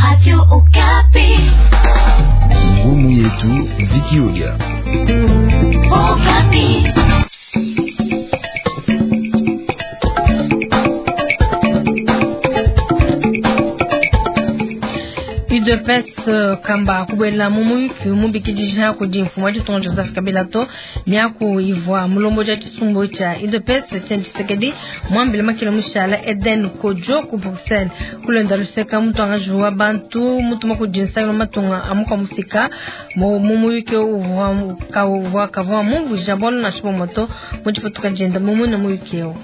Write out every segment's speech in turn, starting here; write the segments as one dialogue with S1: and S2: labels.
S1: Radio Okapi.
S2: Ngumu yetu Vikiolia.
S1: Okapi.
S3: UDPS kamba kubuela mu muyuki mubikidija kudi mfumu wa ditunga Joseph Kabila to miaku ivua mulombodi wa tshisumbu tshia UDPS Etienne Tshisekedi muambile makila mushala Eden Kodjo ku Bruxelles kulenda luseka mutuangaji wa bantu mutuma kudi nsangilu wa matunga a mukua mufika mu muyuki uvua kavua mumvuija bualu nansha bumue to mu dipatuka dienda mu muine muyuki eu.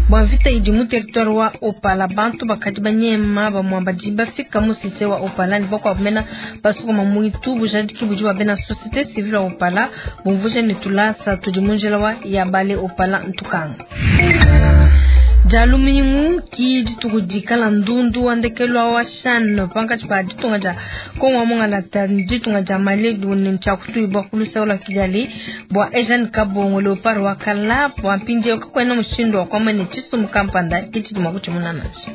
S3: Bua mvita idi mu territoire wa Opala, bantu bakadi banyema bamue badi bafika mu cité wa Opala ne bakuabu mena basokoma muitu. Bujadiki budi bua bena société civile wa Opala bumvuija ne tulasa tudi mu njila wa Yabale Opala Ntukanga. Dia lumingu ki dituku dikala ndundu wa ndekelu wa CHAN pankatshi pa ditunga dia Kongo wa mungalata ne ditunga dia Mali ne tshia kutuibua ku luseke lua Kigali bua Eugene Kabongo Leopard wa kala bua mpindieu kakuena mushindu wa kuamba ne tshisumbu kampanda ke tshidi mua kutshimuna nansha.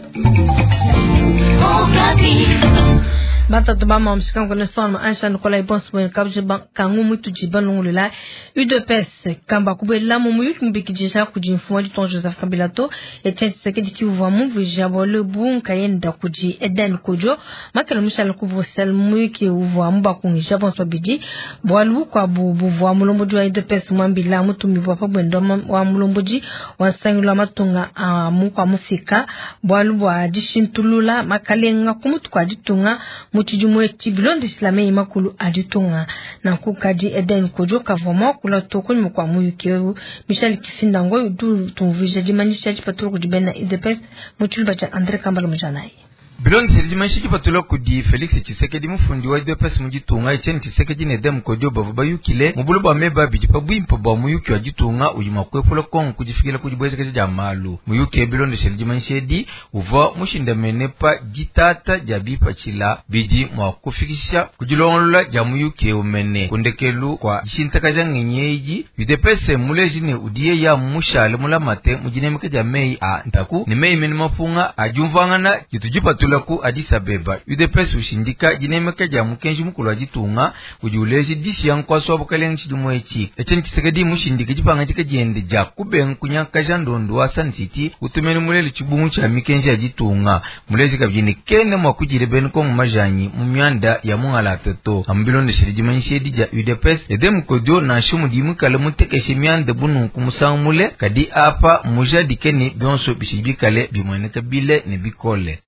S3: Batatu ba mamu shikango ne sona ansha Nikolai Bonso kabji kangu mutu jiba lungulula UDPS kamba kubuela mu muyuki mubikidija kudi mfumu wa ditunga Joseph Kabila to Etienne Tshisekedi kivua mumvuija bualu ebu nkayenda kudi Eden Kodjo makela mushala ku Bruxelles muyuki uvua mubakungija bonso babidi bualu bukuabu buvua mulombodi wa UDPS muambila mutumibua pa buenda wa mulombodi wa nsangilu wa matunga a mukua mufika bualu bua dishintulula makalenga ku mutu kua ditunga mu tshidimu etshi bilondeshila meyi makulu a ditunga. Nanku kadi Eden Kodjo kavua muakula to kunyima kua muyuki eu. Michel Kifinda Ngoy udi utumvuija dimanyisha dipatula kudi bena UDPS mu tshiluba tshia Andre Kambala Mujanayi.
S4: Bilondeshile dimanyisha dipatula kudi Felix Tshisekedi mufundi wa UDPS mu ditunga, Etienne Tshisekedi ne Edem Kodjo bavua bayukile mu bule bua meba abidi pa buimpe bua muyuki wa ditunga udi mua kuepula Congo ku difikila ku dibuejakaja dia malu. Muyuki eu bilondeshile dimanyisha edi uvua mushindamene pa ditata dia bipatshila bidi mua kufikisha ku dilongolola dia muyuki eu mene. Ku ndekelu kua dishintakaja ngenyi edi, UDPS mmuleje ne udi yeya mushale mulamate mu dinemeka dia meyi a ntaku ne meyi mene mapunga a diumvuangana ditu dipatula ku Addis Abeba. UDPS ushindika dinemeka dia mukenji mukulu wa ditunga udi uleja dishiya nkuasa wa bukalenge tshidimu etshi. Etienne Tshisekedi mushindike dipangadika diende dia kubenga kunyangakaja ndondo wa Sun City utumene mulele tshibungu tshia mikenji ya ditunga. Muleje kabidi ne kena mua kudila bena Kongo majanyi mu mianda ya mungalata to. Amu bilondeshile dimanyisha edi dia UDPS, Edem Kodjo nansha mudi muikale mutekeshe mianda bu nunku musangu mule, kadi apa mujadike ne bionso bitshidi bikale bimueneka bile ne bikole.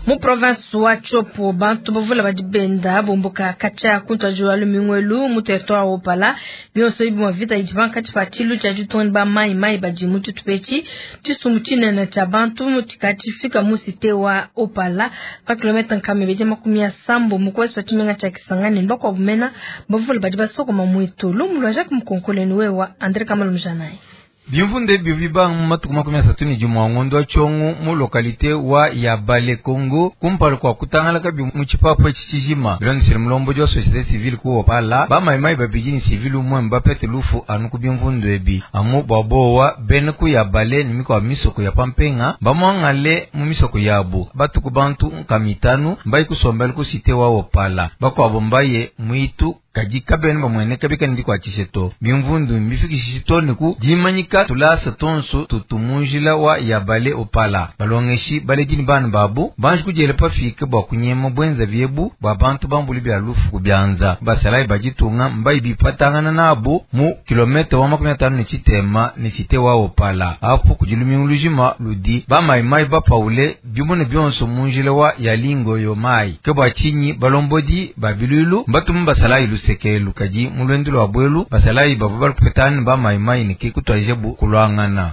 S3: Mu province wa Tshopo bantu bavula badi benda bumbuka katshia ku ntuadijilu wa lumingu elu mu territoire wa Opala. Bionso ebi bua mvita idi pankatshi pa tshilu tshia ditunga ne ba mai mai badi mu tshitupa etshi. Tshisumbu tshinene tshia bantu tshikatshifika mu cité wa Opala pa kilomètre nkama ibidi makumi asambo mu kuwest wa tshimenga tshia Kisangani ne bakuabu mena bavula badi basokoma muitu. Lumu lua Jacques Mukonkole ne wewa Andre Kamalu Mujanayi.
S4: Bimvundu ebi bibanga mu matuku 31 a ngondo wa Tshiongo mu localité wa Yabale Congo kumpala kua kutangalaka bi mu tshipapu etshi tshijima. Bilondeshile mulombodi wa société civile ku Opala, ba maimai babidi ne civile umue mbapete lufu anu ku bimvundu ebi. Amu bua bowa bena ku Yabale ne mikuabu misoko ya pampenga bamuangale mu misoko yabu. Batuku bantu nkama itanu mbaye kusombela ku cité wa Opala, bakuabu mbaye muitu kadi kabena bamueneka bikale dikuatshishe to. Bimvundu mbifikishishe to ne ku dimanyika tulasa tonso tutu mu njila wa Yabale Opala. Balongeshi baledi ne bana babu banji kudiela pafika bua kunyema buenza biebu bua bantu bambuli bia lufu ku bianza. Basalayi ba ditunga mbayi bipatangana nabu mu kilomètre wa 53 ne cité wa Opala. Apu kudi lumingu lujima ludi bamaimai bapaule bimune bionso mu njila wa Yalingo yo mai. Ke bua tshinyi balombodi ba bilulu mbatumu basalayi lusekelu kadi mu lwendo lwa bwelu basalayi bavua balupetana ba maimai ne ke kutuadija bu kulwangana.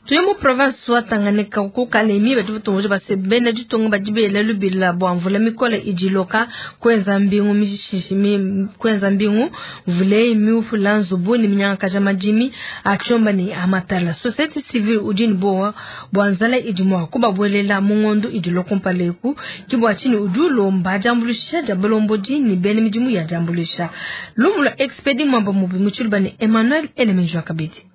S3: Tuye mu province wa Tanganyika ku Kalemi badi batumvuija base bena ditunga badi bela lubila bua mvula mikole idi iloka kuenza mbingu mishishi mi, kuenza mbingu mvula eyi miupula nzubu ne minyangakaja madimi a tshiomba ne a matala. Société civile udi ne buowa bua nzala idi mua kubabuelela mu ngondo idi ilua kumpala eku. Ke bua tshinyi udi ulomba diambuluisha dia balombodi ne bena midimu ya diambuluisha. Lumu lua Expedi Mwamba Mubi mu tshiluba ne Emmanuel Elemenjua kabidi.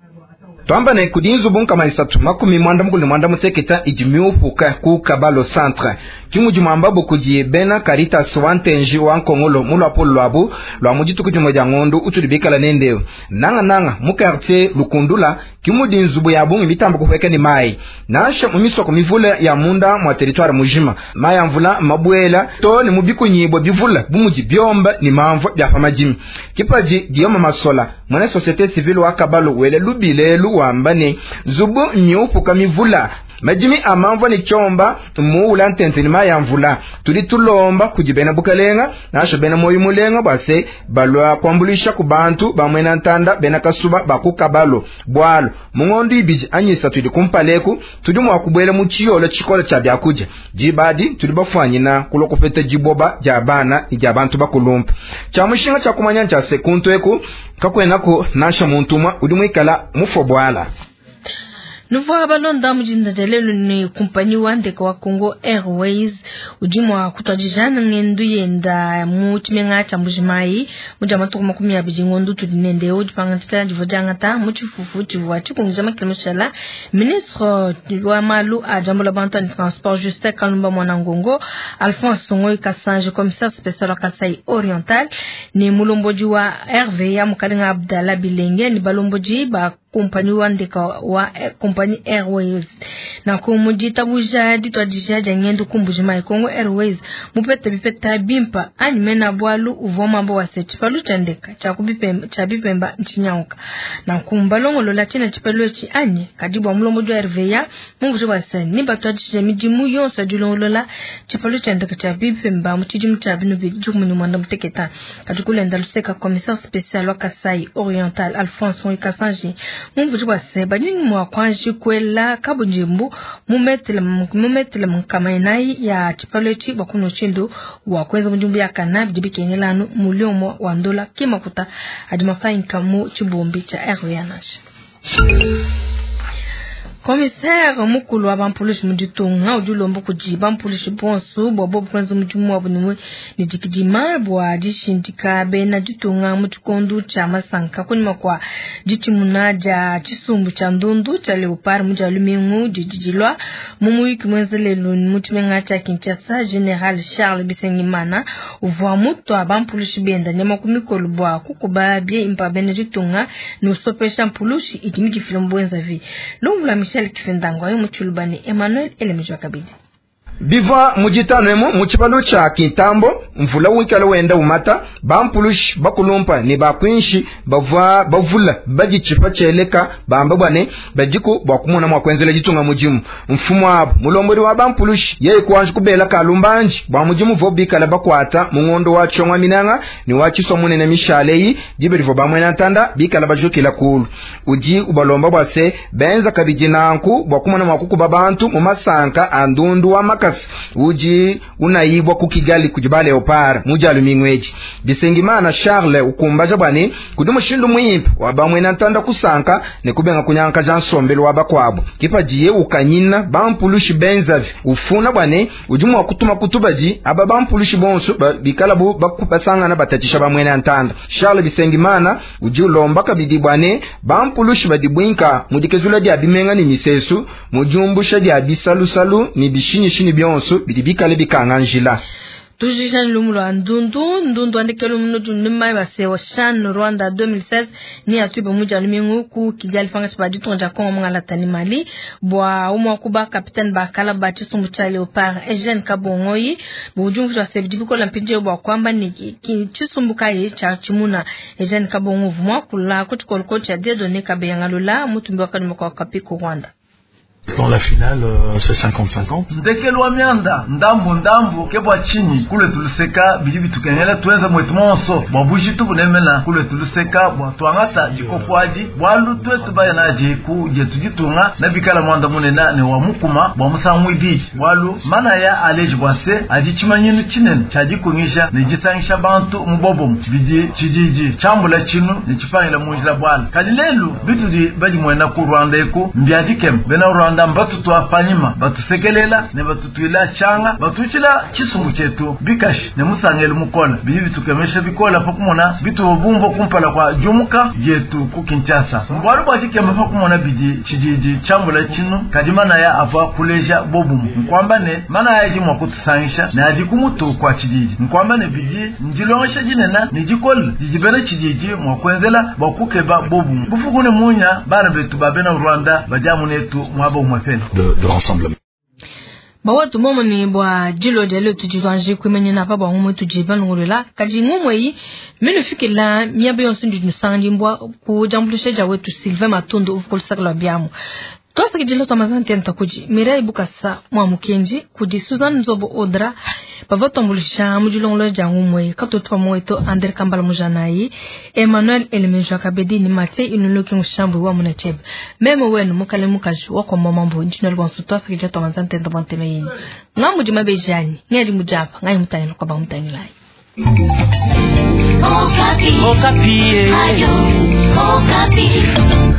S1: Twamba ne kudi nzubu 336 idi miupuka ku Kabalo Centre. Ki mudi muambabo kudi bena Caritas wa Ntenji wa Nkongolo mu luapolo luabu lua mu dituku dimue dia ngondo utudi bikala nende. Nanga nanga mu quartier Lukundula ki mudi nzubu ya bungi mitamba kupueka ne mayi. Nansha mu misoko mivule ya munda mua territoire mujima, mayi a mvula mabuela to ne mu bikunyibwa bivula bu mudi biomba ne mamvua bia pa madimi. Kipaji Guillaume Masola, mwena société civile wa Kabalo wele lubilelu wamba ne nzubu nyupuka mivula madimi a mamvua ne tshiomba muula ntente ne mayi a mvula. Tudi tulomba kudi bena bukalenga nansha bena moyo mulenga bua se balua kuambuluisha ku bantu ba mwena ntanda bena kasuba ba ku Kabalo. Bualu mu ngondo ibidi anyi isatu idi kumpaleku tudi mua kubuela mu tshiyolo tshikole tshia biakudia. Dibadi tudi bafuanyina kulua kupeta diboba dia bana ne dia bantu bakulumpa. Tshia mushinga tshia kumanya ntshia se kuntu eku kakuenaku nansha muntu umue udi muikala mufue buala.
S3: Nuvua balonda mujinda dia lelu ne kumpanyi wa ndeke wa Congo Airways udi mua kutuadija ngendu yenda mu tshimenga tshia Mbujimayi mu dia matuku 20 ngondo tudi nende udi divua diangata mu tshifufu tshivua tshikungija makele mushala. Ministre wa malu a diambula bantu ne transport Justin Kalumba Mwanangongo, Alphonse Ngoyi Kasanji commissaire spécial wa Kasai Oriental ne mulombodi wa RVA Mukalenga Abdallah Bilenge ne balombodi ba kumpanyi wa ndeke wa kumpanyi Airways. Na kumujitabuja ditwadija dia ngendo ku Mbujimayi Congo Airways mupete bipeta bimpa anyi mena bwalu uvua mambo wa se tshipalu tshia ndeka tshia kubipemba tshia bipemba ntshinyauka. Na kumbalongolola tshina tshipalu etshi anyi kadi bua mulombodi wa RVA mumvuije bua se ni batwadija midimu yonso ya dilongolola tshipalu tshia ndeka tshia bipemba mu tshidimu tshia binu bidi mwanda muteketa. Kadi kulenda luseka commissaire spécial wa Kasai Oriental Alphonse Ngoyi Kasanji mumvuije bua se badi mua kuanji kuela kabundimbu mumetele mukamainayi ya tshipalu etshi bua kuno tshindu wa kuenza mudimu ya kana bidi bikengelanu muliomo wa ndola kimakuta adi mafanyika mu tshibumbi tshia RVA nansha. Commissaire mukulu wa bampulushi mu ditunga udi ulomba kudi bampulushi bonso bua bobu kuenza mudimu wabu ne dikidima bua dishindika bena ditunga mu tshikondo tshia masanka kunyima kua ditshimuna dia tshisumbu tshia ndundu tshia Leopard mu dia lumingu didi dilua mu muyuki muenza lelu mu tshimenga tshia Kinshasa. General Charles Bisengimana uvua mutua bampulushi benda nyama ku mikolo bua kukuba bimpa bena ditunga ne usopesha mpulushi idi midifila mu bwenzavi. Lumvula Michel Kifendango ayo mutshilubane Emmanuel Elemejwa kabidi.
S1: Bivua mujitano emu mu tshipalu tshia Kintambo mvula wikala wenda umata bampulushi bakulumpa ne bakwinshi bavua bavula baditshipa tshieleka bamba bwane badiku bua kumona mua kuenzela ditunga mudimu. Mfumu abo mulombodi wa bampulushi yeye kuanji kubela kalumbanji bua mudimu vo bikala bakwata mu ngondo wa tshongwa minanga ne wa tshiswa munene mishaleyi dibe divua bamwena ntanda bikala bajukila kulu. Udi ubalomba bua se benza kabidi nanku bua kumona mua kukuba bantu mu masanka a ndundu wa makasi uji unaibwa ku Kigali kudi ba Leopard mu dia lumingu edi. Bisengimana Charles ukumbaja bwane kudi mushindu muimpe wa bamwena ntanda kusanka ne kubenga kunyanka ja nsombelo wa bakwabo. Kipadiye ukanyina bampulushi benzavi ufuna bwane udi mua kutuma kutubadi aba bampulushi bonso bikala bu bakupasangana batatisha bamwena ntanda. Charles Bisengimana udi ulomba kabidi bwane bampulushi badibwinka mudikezula dia bimenga ni misesu mujumbusha dia bisalusalu ni bishinyishinyi byonso bidi bikale bikanga njila.
S3: Tujijani lumu lwa ndundu ndundu andikelo muno nimai base wa CHAN Rwanda 2016 ni atuiba muja lumingu ku Kigali fanga chiba ditonja Kongo mungala tani Mali bwa umwa kuba capitaine bakala ba chisumbu cha Leopard Eugene Kabongoyi bujumvu wa sebidi bikola mpinje bwa kwamba ni chisumbu kaye cha chimuna Eugene Kabongo vumwa kula kuchikolko cha Dieudonné Kabeyangalula mutumbi wa kanuma kwa Kapiko Rwanda.
S5: Dans la finale, c'est 50-50.
S6: Ndekelwa mianda ndambu ndambu kebwa chini kule tuluseka bidi bitukenyela tuenza mwetu monso bwa bujitu bunemena kule tuluseka bwa twangata dikopwadi bwalu twetu bayanaji ku jetu ditunga na bikala mwanda munena ne wa mukuma bwa musangu ibidi bwalu mana ya aleji bwase adi chimanyinu chinene chadikungisha ne jisangisha bantu mubobomu bidi chididi chambula chinu ne chipangila munjila bwala kadi lelu bitudi badi mwena ku Rwanda eku mbyadikem bena Rwanda Rwanda mbatutua panyima, batusekelela ne batutuila tshianga, batuishila tshisumbu tshietu bikashi ne musangelu mukole. Bidi bitukemesha bikole pa kumona bituvua bumvua kumpala kua diumuka dietu ku Kinshasa. Mbualu bua dikema pa kumona bidi tshididi tshiambula tshinu, kadi manaya avua kuleja bobumue. Nkuamba ne, manaya adi mua kutusangisha ne adi ku mutu kua tshididi. Nkuamba ne, bidi ndilongesha dinene ne dikole didi bena tshididi mua kuenzela bua kukeba bobumue. Bufuku ne munya, bana betu ba bena Rwanda badi amu netu muaba umuepele.
S5: De rassemblement.
S3: Bawetu momone bua dilo dia leo tudi tuanji kuimanyina pa bua ngumu tudi balongolola, kadi ngumu eyi minufikila miaba yonso ndi nusanga mbua ku diambuluisha dia wetu Sylvain Matondo uvua ku lusaka lua biamu. Tuasakidila tua mazante kudi Mireille Bukasa mwa Mukenji, kudi Suzanne Nzobo Audra bavua tuambuluisha mu dilongolola dia ngumu eyi, katutu pamue wetu Andre Kambala Mujanayi, Emmanuel Elemejo Kabedi ni Mathieu Inuloki Mushambu wa Munachebe. Meme wenu mukale mukaji wa kwa mamambo ndino lwansu tuasakidila tua mazante nta banteme yenu. Ngamu di mabejani, ngadi mujapa, ngai mutangila kwa ba mutangilai.
S7: Okapi. Okapi. Ayo, Okapi.